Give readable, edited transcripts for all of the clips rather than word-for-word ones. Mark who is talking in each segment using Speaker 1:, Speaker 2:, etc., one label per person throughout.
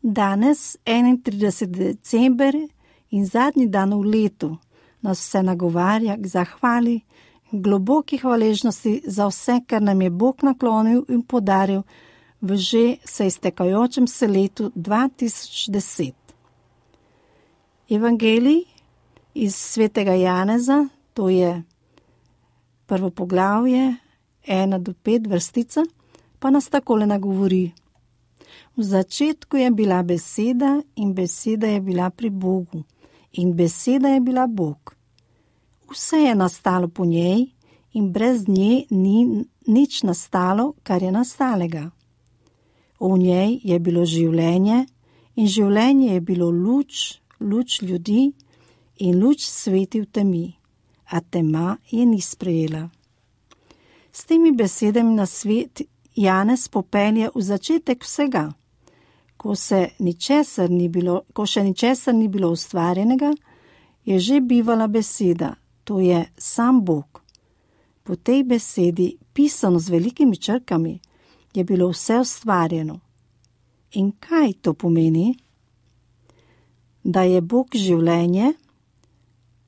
Speaker 1: Danes, 31. december in zadnji dan v letu, nas vse nagovarja k zahvali, globoki hvaležnosti za vse, kar nam je Bog naklonil in podaril v že se iztekajočem se letu 2010. Evangelij iz svetega Janeza, to je prvo poglavje, 1-5 vrstica, pa nas takole nagovori. V začetku je bila beseda in beseda je bila pri Bogu in beseda je bila Bog. Vse je nastalo po njej in brez nje ni nič nastalo, kar je nastalega. V njej je bilo življenje in življenje je bilo luč ljudi in luč sveti v temi, a tema je ni sprejela. S temi besedami na svet Janez popelje v začetek vsega. Ko še ničesar ni bilo ustvarjenega, je že bivala beseda, to je sam Bog. Po tej besedi, pisano z velikimi črkami, je bilo vse ustvarjeno. In kaj to pomeni? Da je Bog življenje,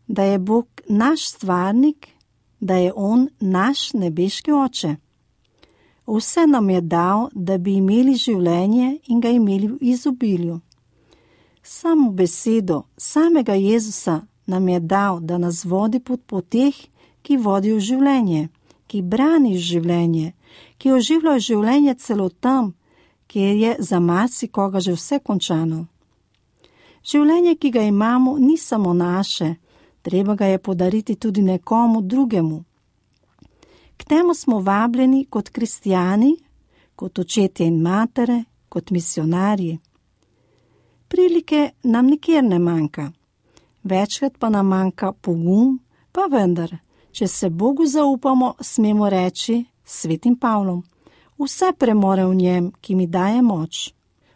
Speaker 1: da je Bog naš stvarnik, da je On naš nebeški oče. Vse nam je dal, da bi imeli življenje in ga imeli v izobilju. Samo besedo samega Jezusa nam je dal, da nas vodi po poteh, ki vodijo življenje, ki brani življenje, ki oživljajo življenje celo tam, kjer je za marsikoga že vse končano. Življenje, ki ga imamo, ni samo naše, treba ga je podariti tudi nekomu drugemu. K temu smo vabljeni kot kristijani, kot očetje in matere, kot misionarji. Prilike nam nikjer ne manjka. Večkrat pa nam manjka pogum, pa vendar, če se Bogu zaupamo, smemo reči svetim Pavlom. Vse premore v njem, ki mi daje moč.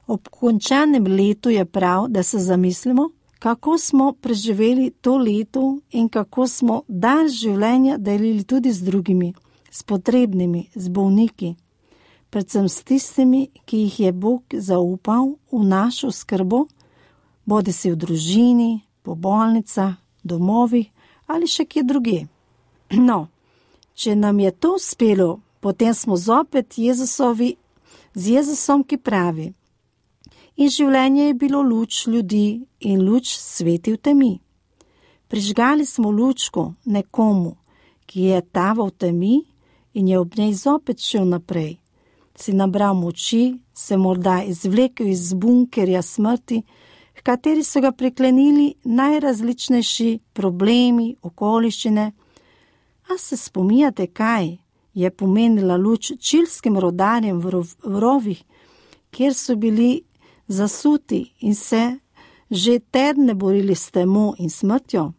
Speaker 1: Ob končanem letu je prav, da se zamislimo, kako smo preživeli to leto in kako smo dar življenja delili tudi z drugimi, s potrebnimi, z bolniki, predvsem s tistimi, ki jih je Bog zaupal v našo skrbo, bodisi v družini, po bolnicah, domovih ali še kje drugje. No, če nam je to uspelo, potem smo zopet z Jezusom, ki pravi: in življenje je bilo luč ljudi in luč sveti v temi. Prižgali smo lučko nekomu, ki je taval v temi in je ob njej zopet šel naprej. Si nabral moči, se morda izvlekel iz bunkerja smrti, v kateri so ga priklenili najrazličnejši problemi, okoliščine. A se spominjate, kaj je pomenila luč čilskim rodarjem v rovih, kjer so bili zasuti in se že tedne borili s temo in smrtjo?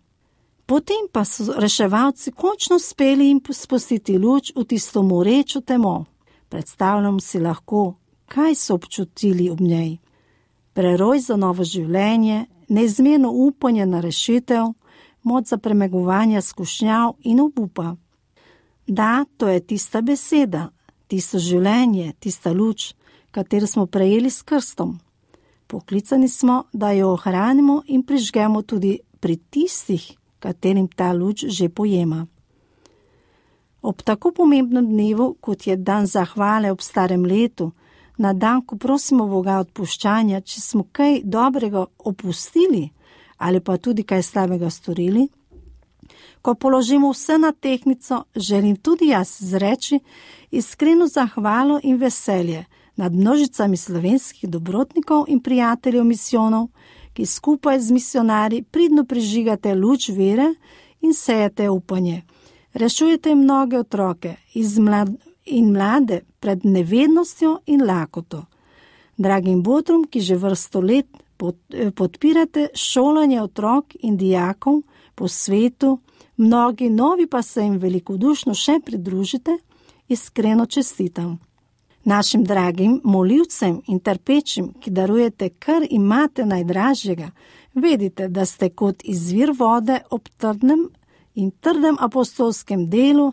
Speaker 1: Potem pa so reševalci končno uspeli jim spustiti luč v tisto morečo temo. Predstavljam si lahko, kaj so občutili ob njej. Preroj za novo življenje, neizmerno upanje na rešitev, moč za premagovanje skušnjav in obupa. Da, to je tista beseda, tisto življenje, tista luč, katero smo prejeli s krstom. Poklicani smo, da jo ohranimo in prižgemo tudi pri tistih, katerim ta luč že pojema. Ob tako pomembnem dnevu, kot je dan zahvale ob starem letu, na dan, ko prosimo Boga odpuščanja, če smo kaj dobrega opustili ali pa tudi kaj slabega storili, ko položimo vse na tehtnico, želim tudi jaz izreči iskreno zahvalo in veselje nad množicami slovenskih dobrotnikov in prijateljev misijonov, ki skupaj z misionarji pridno prižigate luč vere in sejete upanje. Rešujete mnoge otroke in mlade pred nevednostjo in lakoto. Dragim botrom, ki že vrsto let podpirate šolanje otrok in dijakov po svetu, mnogi novi pa se jim velikodušno še pridružite, iskreno čestitam. Našim dragim molivcem in trpečim, ki darujete, kar imate najdražjega, vedite, da ste kot izvir vode ob trdnem apostolskem delu,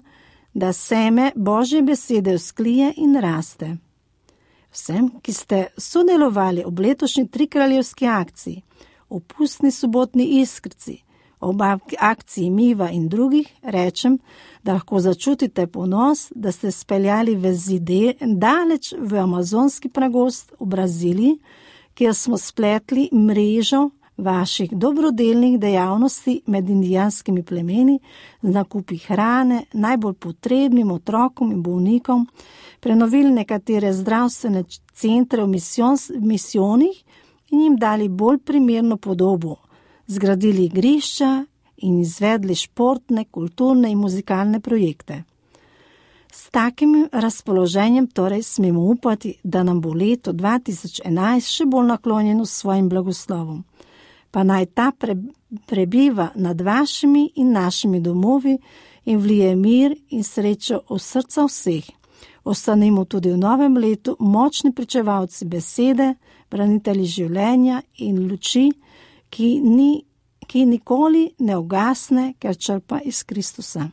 Speaker 1: da seme Božje besede vzklije in raste. Vsem, ki ste sodelovali ob letošnji Trikraljevski akciji, o pustni sobotni Iskrici, ob akciji Miva in drugih, rečem, da lahko začutite ponos, da ste speljali vezi daleč v amazonski pragost v Braziliji, kjer smo spletli mrežo vaših dobrodelnih dejavnosti med indijanskimi plemeni z nakupi hrane najbolj potrebnim otrokom in bolnikom, prenovili nekatere zdravstvene centre v misijonih in jim dali bolj primerno podobo, zgradili igrišča in izvedli športne, kulturne in muzikalne projekte. S takim razpoloženjem torej smemo upati, da nam bo leto 2011 še bolj naklonjeno svojim blagoslovom. Pa naj ta prebiva nad vašimi in našimi domovi in vlije mir in srečo v srca vseh. Ostanimo tudi v novem letu močni pričevalci besede, branitelji življenja in luči, ki nikoli ne ugasne, ker črpa iz Kristusa.